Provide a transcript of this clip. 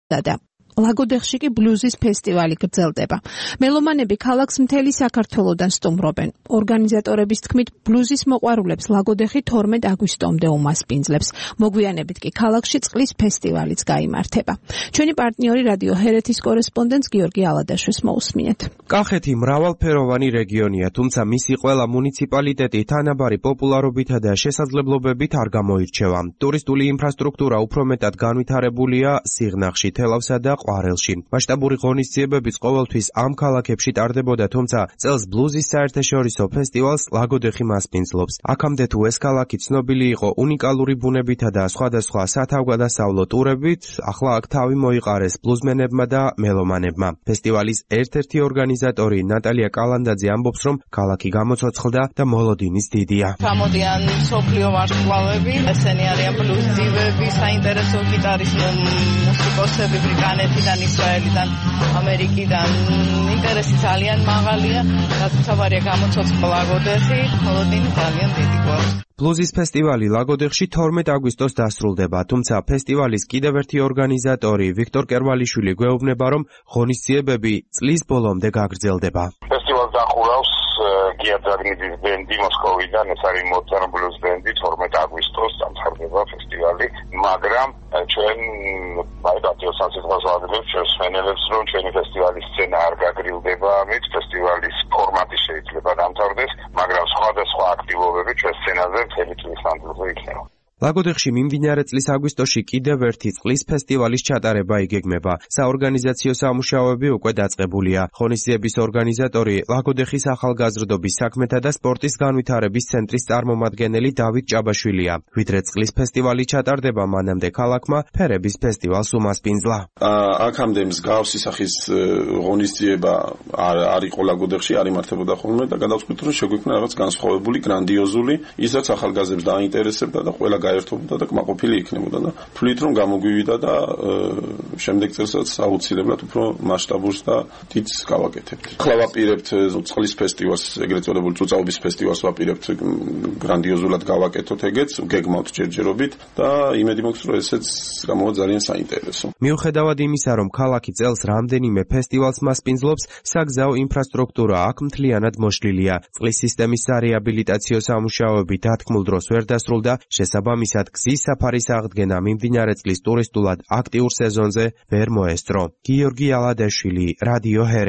და ლაგოდეხში კი ბლუზის ფესტივალი გრძელდება. მელომანები ქალაქს მთელი საქართველოდან სტუმრობენ. ორგანიზატორების თქმით, ბლუზის მოყვარულებს ლაგოდეხი 12 აგვისტომდე უმასპინძლებს. მოგვიანებით კი ქალაქში წყლის ფესტივალიც გაიმართება. ჩვენი პარტნიორი რადიო ჰერეთის კორესპონდენტს გიორგი ალადაშვილს მოусმინეთ. კახეთი მრავალფეროვანი რეგიონია, თუმცა მისი ყველა მუნიციპალიტეტი თანაბარი პოპულარობითა და შესაძლებლობებით არ გამოირჩევა. ტურისტული ინფრასტრუქტურა უფრო მეტად განვითარებულია სიღნაღში, თელავსა და ყვარელში. მასშტაბური ღონისძიებებიც ყოველთვის ამ ქალაქებში ტარდებოდა, თუმცა წელს ბლუზის საერთაშორისო ფესტივალს ლაგოდეხი მასპინძლობს. აქამდე თუ ეს ქალაქი ცნობილი იყო უნიკალური ბუნებითა და სხვადასხვა სათავგადასავლო ტურებით, ახლა აქ თავი მოიყარეს ბლუზმენებმა და მელომანებმა. ფესტივალის ერთ-ერთი ორგანიზატორი ნატალია კალანდაძე ამბობს, რომ ქალაქი გამოცოცხლდა და მოლოდინის დიდია. გამოდიან მსოფლიო ვარსკვლავები, ესენი არიან ბლუზდივები, საინტერესო გიტარის მუსიკოსები ბრიტანეთიდან, ისრაელიდან, ამერიკიდან. ინტერესი ძალიან მაღალია, რადგან გამოცოცხლ ლაგოდეხი, მოლოდინი ძალიან დიდი გვაქვს. ბლუზის ფესტივალი ლაგოდეხში 12 აგვისტოს დასრულდება, თუმცა ფესტივალის კიდევ ერთი ორგანიზატორი ვიქტორ კერვალიშვილი გვეუბნება, რომ ღონისძიებები წლის ბოლომდე გაგრძელდება. ფესტივალს ახურავს გია ძაგნიძის ბენდი მოსკოვიდან, ეს არის მოცარ ბლუზ ბენდი, 12 აგვისტოს დამთავრდება ფესტივალი, მაგრამ ჩვენ პატიოსან სიტყვას ვადებთ ჩვენს მსმენელებს, რომ ჩვენი ფესტივალის სცენა არ გაგრილდება ამით, ფესტივალის ფორმატი შეიძლება დამთავრდეს, მაგრამ სხვადასხვა აქტივობები ჩვენ სცენაზე მთელი წლის მანძილზე იქნება. ლაგოდეხში მიმდინარე წლის აგვისტოში კიდევ ერთი წყლის ფესტივალის ჩატარება იგეგმება. საორგანიზაციო სამუშაოები უკვე დაწყებულია. ღონისძიების ორგანიზატორი ლაგოდეხის ახალგაზრდობის საქმეთა და სპორტის განვითარების ცენტრის წარმომადგენელი დავით ჭაბაშვილია. ვიდრე წყლის ფესტივალი ჩატარდება, მანამდე ქალაქმა ფერების ფესტივალს უმასპინძლა. აქამდე მსგავსი სახის ღონისძიება არ იყო ლაგოდეხში, არ იმართებოდა ხოლმე და გადავწყვიტე, რომ შეგვიქმნა რაღაც განსხვავებული, გრანდიოზული, ისაც ახალგაზრდებს დაინტერესებდა და ყველა გაერთობოდა და კმაყოფილი იქნებოდა და თვლით რომ გამოგვივიდა და შემდეგ წელსაც აუცილებლად უფრო მასშტაბურს და დიდს გავაკეთებთ. ახლა ვაპირებთ წყლის ფესტივალს, ეგრეთ წოდებული წუწაობის ფესტივალს ვაპირებთ გრანდიოზულად გავაკეთოთ ეგეც, გეგმავთ ჯერჯერობით და იმედი მაქვს რომ ესეც გამოვა ძალიან საინტერესო. მიუხედავად იმისა, რომ ქალაქი წელს რამდენიმე ფესტივალს მასპინძლობს, საგზაო ინფრასტრუქტურა აქ მთლიანად მოშლილია. წყლის სისტემის სარეაბილიტაციო სამუშაოები დათქმულ დროს ვერ დასრულდა, შესაბამისად გზის საფარის აღდგენა მიმდინარე წლის ტურისტულად აქტიურ სეზონზე ვერ მოესწრო. გიორგი ალადაშვილი, რადიო ჰერეთი.